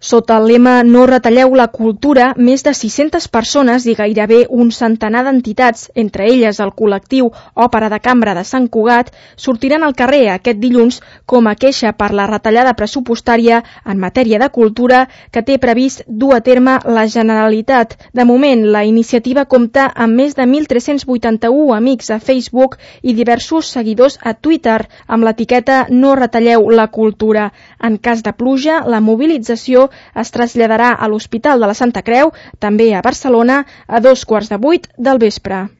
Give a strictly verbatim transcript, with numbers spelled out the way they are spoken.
Sota el lema No retalleu la cultura, més de sis-centes persones i gairebé un centenar d'entitats, entre elles el col·lectiu Òpera de Cambra de Sant Cugat, sortiran al carrer aquest dilluns com a queixa per la retallada pressupostària en matèria de cultura que té previst dur a terme la Generalitat. De moment, la iniciativa compta amb més de mil tres-cents vuitanta-u amics a Facebook i diversos seguidors a Twitter amb l'etiqueta No retalleu la cultura. En cas de pluja, la mobilització es traslladarà a l'Hospital de la Santa Creu, també a Barcelona, a dos quarts de vuit del vespre.